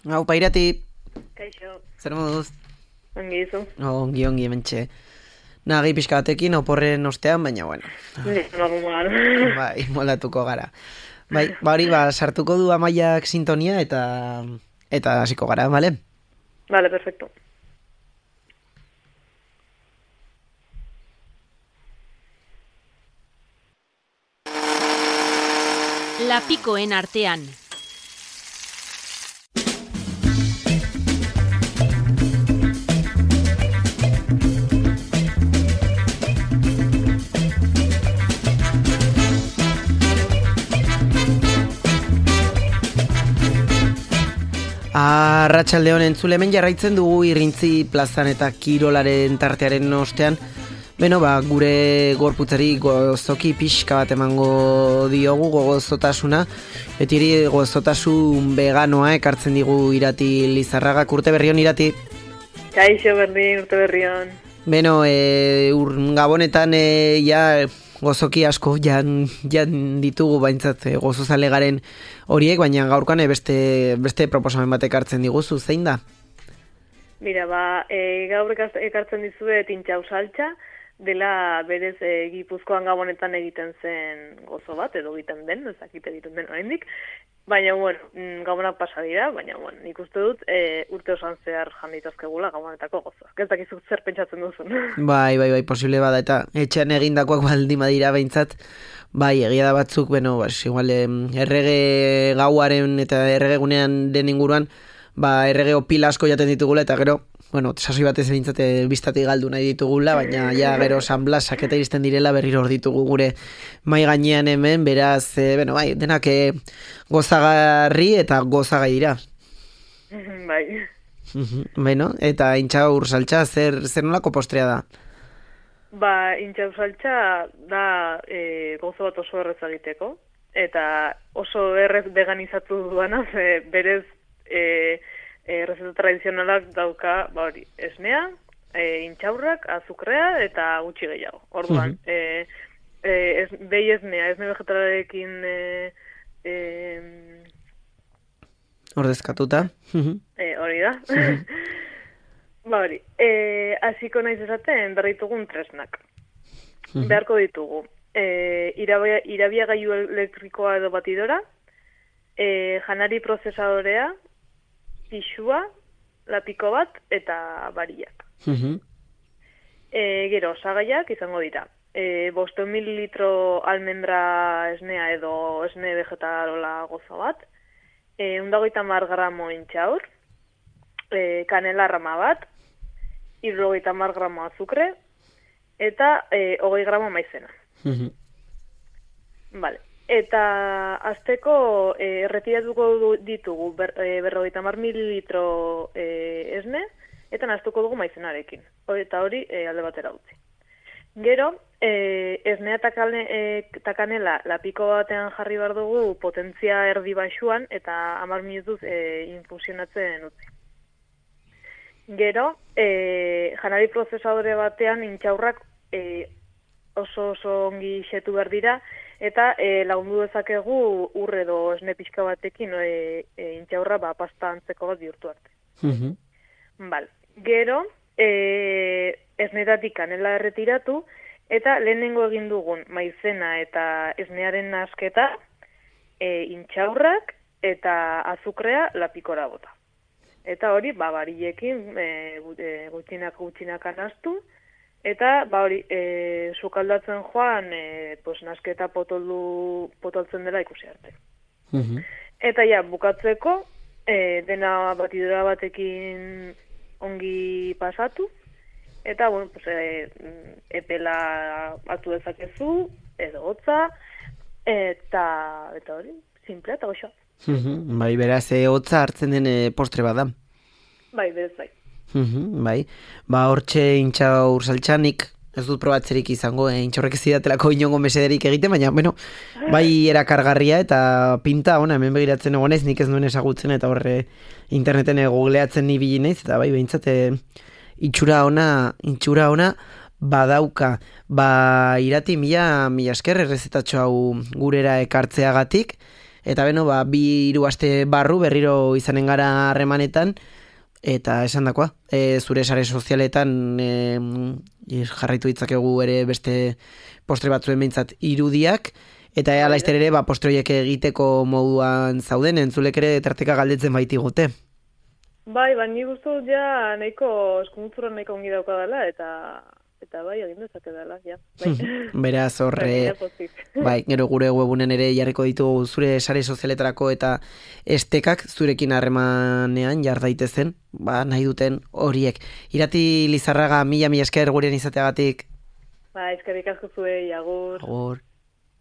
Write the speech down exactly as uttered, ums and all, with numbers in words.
Hau, pairati. Kaixo. Zer moduz? Ongi izu. Oh, ongi, ongi, mentxe. Nagi pixka batekin, oporren ostean, baina, bueno. Normal. Bai, moldatuko gara. Bai, ba hori, ba, sartuko du Amaiak sintonia eta eta hasiko gara, bale? Vale, perfecto. Lapikoen artean. Arratsaldeon entzule, hemen jarraitzen dugu Irrintzi plazan eta kirolaren tartearen ostean. Beno, ba, gure gorputzari gozoki pixka bat emango diogu gozotasuna. Betiri gozotasun veganoa ekartzen digu Irati Lizarraga. Urte berrion, Irati. Kaixo berdin, urte berrion. Beno, e, ur, gabonetan e, ja gozoki asko jan, jan ditugu baintzat e, gozozale garen horiek, baina gaurkoan e, beste, beste proposamen bat ekartzen diguzu, zein da? Mira, ba, e, gaur ekartzen dizue tintxau saltxa, dela berez e, Gipuzkoan gabonetan egiten zen gozo bat, edo egiten den, ezakit egiten den oraindik. Baina, bueno, gabonak pasa dira, baina, bueno, nik uste dut e, urte osan zehar jan ditazkegula gabonetako gozoak. Ez dakizuk zer pentsatzen duzun. Bai, bai, bai, posible bada, eta etxean egindakoak baldin badira behintzat, bai, egia da batzuk, beno, bas, igual, errege gauaren eta erregegunean den inguruan, ba, errege opila asko jaten ditugula, eta gero, bueno, sasoi batez behintzate biztatik galdu nahi ditugula, baina ja gero San Blasak eta iristen direla berriro hor ditugu gure mai gainean hemen, beraz, e, bueno, bai, denak e, gozagarri eta gozagai dira. Bai. Bueno, eta intxaur saltxa, zer, zer nolako postrea da? Ba, intxaur saltxa da e, gozo bat oso errez egiteko, eta oso errez veganizatu duana, ze berez e, E, rezeta tradizionalak dauka, ba hori, esnea, e, intxaurrak, azukrea eta gutxi gehiago. Orduan, uh-huh. e, e, ez, behi esnea, esne vegetalarekin e, e, ordezkatuta. e, hori da. Uh-huh. Ba hori, e, hasiko naiz esaten berritugun tresnak. Uh-huh. Beharko ditugu. E, irabia, irabiagailu elektrikoa edo batidora, e, janari prozesadorea, pixua, lapiko bat, eta bariak. Uh-huh. E, gero, osagaiak izango dira. E, bosteun mililitro almendra esnea edo esne vegetarola gozo bat, e, undagoita mar gramo intxaur, e, kanela rama bat, irrogeita mar gramo azukre, eta e, hogei gramo maizena. Uh-huh. Vale. Eta azteko e, erretiratuko ditugu ber, e, berrogeita mar mililitro e, esne, eta naztuko dugu maizenarekin. Eta hori e, alde batera utzi. Gero, e, esnea eta e, kanela lapiko batean jarri behar dugu potentzia erdi baxuan, eta hamar minutuz e, infusionatzen utzi. Gero, e, janari prozesadore batean intxaurrak e, oso oso ongi xetu behar dira, eta e, lagundu dezakegu ur edo esne pixka batekin e, e, intxaurra ba, pasta antzeko bat bihurtu arte. Uh-huh. Bal. Gero, e, esnetatik kanela erretiratu, eta lehenengo egin dugun maizena eta esnearen nasketa, e, intxaurrak eta azukrea lapikora bota. Eta hori, ba, barillekin e, gutxinak gutxinak anaztu, eta, ba hori, e, sukaldatzen joan, e, pues, nasketa potoldu, potoltzen dela ikusi arte. Uh-huh. Eta ja, bukatzeko, e, dena batidora batekin ongi pasatu, eta, bueno, pues, e, epela hartu dezakezu, edo hotza, eta, eta hori, simple eta goxoa. Uh-huh. Bai, beraz, e, hotza hartzen den e, postre bada. Bai, berez bai. Uhum, bai, ba hortxe intxaur saltxanik ez dut probatzerik izango, eh? Intxaurrek ez zidatelako inongo mesederik egiten, baina, bueno, bai erakargarria eta pinta ona, hemen begiratzen egonez, nik ez nuen ezagutzen eta horre interneten googleatzen ibili naiz, eta bai, behintzat itxura ona, itxura ona badauka. Ba, Irati, mila, mila esker errezetatxo hau gurera ekartzeagatik, eta beno, ba, bi hiru aste barru berriro izanen gara harremanetan, eta esan dakoa, e, zure sare sozialetan e, jarraitu ditzakegu ere beste postre batzuen behintzat irudiak, eta ea laizter ere, ba, postre horiek egiteko moduan zauden, entzulek ere tarteka galdetzen baitigute. Bai, ba, ni guztu ja nahiko eskumutzuran nahiko ongi daukadala, eta eta bai, egin dezake dela, ja. Bai. Beraz, horre, bai, gero gure webunen ere jarriko ditugu zure sare sozialetarako eta estekak zurekin harremanean jar daitezen, ba, nahi duten horiek. Irati Lizarraga, mila mila esker gurean izateagatik. Ba, eskerrik asko zuei, agur. Agur.